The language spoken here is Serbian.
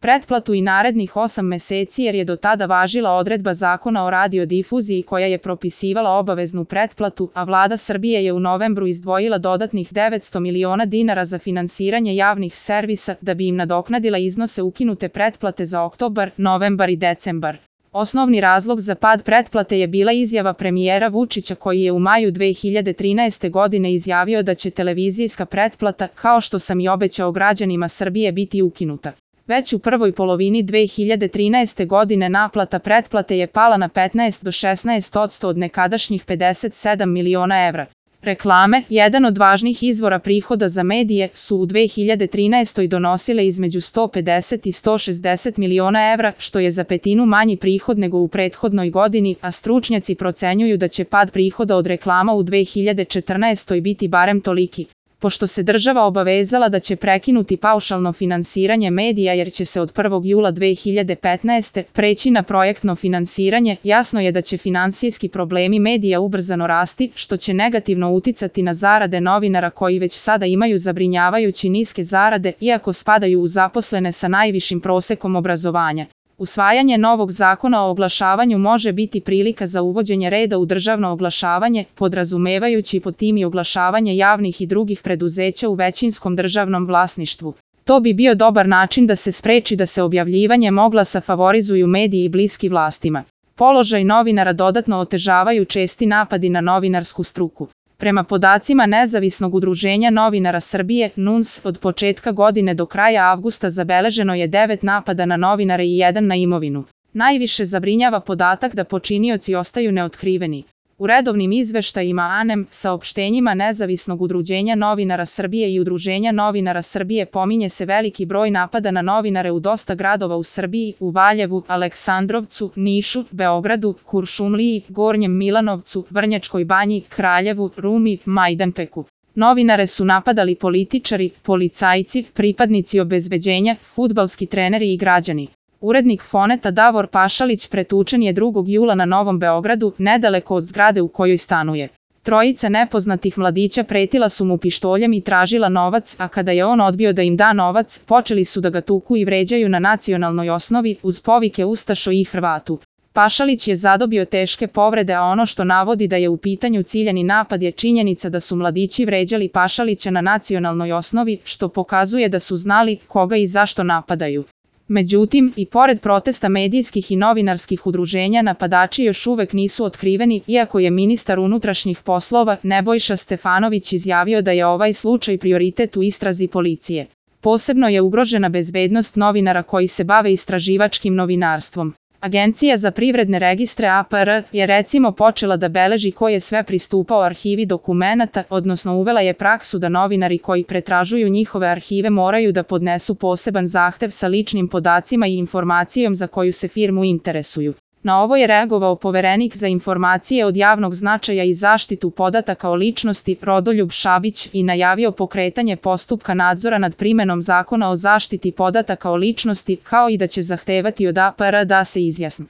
pretplatu i narednih 8 meseci jer je do tada važila odredba Zakona o radiodifuziji koja je propisivala obaveznu pretplatu, a Vlada Srbije je u novembru izdvojila dodatnih 900 miliona dinara za finansiranje javnih servisa da bi im nadoknadila iznose ukinute pretplate za oktobar, novembar i decembar. Osnovni razlog za pad pretplate je bila izjava premijera Vučića koji je u maju 2013. godine izjavio da će televizijska pretplata, kao što sam i obećao građanima Srbije, biti ukinuta. Već u prvoj polovini 2013. godine naplata pretplate je pala na 15 do 16% od nekadašnjih 57 miliona evra. Reklame, jedan od važnih izvora prihoda za medije, su u 2013. donosile između 150 i 160 miliona evra, što je za petinu manji prihod nego u prethodnoj godini, a stručnjaci procenjuju da će pad prihoda od reklama u 2014. biti barem toliki. Pošto se država obavezala da će prekinuti paušalno finansiranje medija jer će se od 1. jula 2015. preći na projektno finansiranje, jasno je da će finansijski problemi medija ubrzano rasti, što će negativno uticati na zarade novinara koji već sada imaju zabrinjavajući niske zarade, iako spadaju u zaposlene sa najvišim prosekom obrazovanja. Usvajanje novog zakona o oglašavanju može biti prilika za uvođenje reda u državno oglašavanje, podrazumevajući pod tim i oglašavanje javnih i drugih preduzeća u većinskom državnom vlasništvu. To bi bio dobar način da se spreči da se objavljivanjem oglasa favorizuju mediji bliski vlastima. Položaj novinara dodatno otežavaju česti napadi na novinarsku struku. Prema podacima Nezavisnog udruženja novinara Srbije, NUNS, od početka godine do kraja avgusta zabeleženo je 9 napada na novinare i 1 na imovinu. Najviše zabrinjava podatak da počinioci ostaju neotkriveni. U redovnim izveštajima ANEM, saopštenjima Nezavisnog udruženja novinara Srbije i Udruženja novinara Srbije pominje se veliki broj napada na novinare u dosta gradova u Srbiji, u Valjevu, Aleksandrovcu, Nišu, Beogradu, Kuršumliji, Gornjem Milanovcu, Vrnjačkoj Banji, Kraljevu, Rumi, Majdanpeku. Novinare su napadali političari, policajci, pripadnici obezbeđenja, fudbalski treneri i građani. Urednik Foneta Davor Pašalić pretučen je 2. jula na Novom Beogradu, nedaleko od zgrade u kojoj stanuje. Trojica nepoznatih mladića pretila su mu pištoljem i tražila novac, a kada je on odbio da im da novac, počeli su da ga tuku i vređaju na nacionalnoj osnovi, uz povike Ustašo i Hrvatu. Pašalić je zadobio teške povrede, a ono što navodi da je u pitanju ciljani napad je činjenica da su mladići vređali Pašalića na nacionalnoj osnovi, što pokazuje da su znali koga i zašto napadaju. Međutim, i pored protesta medijskih i novinarskih udruženja, napadači još uvek nisu otkriveni, iako je ministar unutrašnjih poslova Nebojša Stefanović izjavio da je ovaj slučaj prioritet u istrazi policije. Posebno je ugrožena bezbednost novinara koji se bave istraživačkim novinarstvom. Agencija za privredne registre APR je recimo počela da beleži ko je sve pristupao arhivi dokumenata, odnosno uvela je praksu da novinari koji pretražuju njihove arhive moraju da podnesu poseban zahtev sa ličnim podacima i informacijom za koju se firmu interesuju. Na ovo je reagovao Poverenik za informacije od javnog značaja i zaštitu podataka o ličnosti Rodoljub Šabić i najavio pokretanje postupka nadzora nad primenom Zakona o zaštiti podataka o ličnosti, kao i da će zahtevati od APR da se izjasni.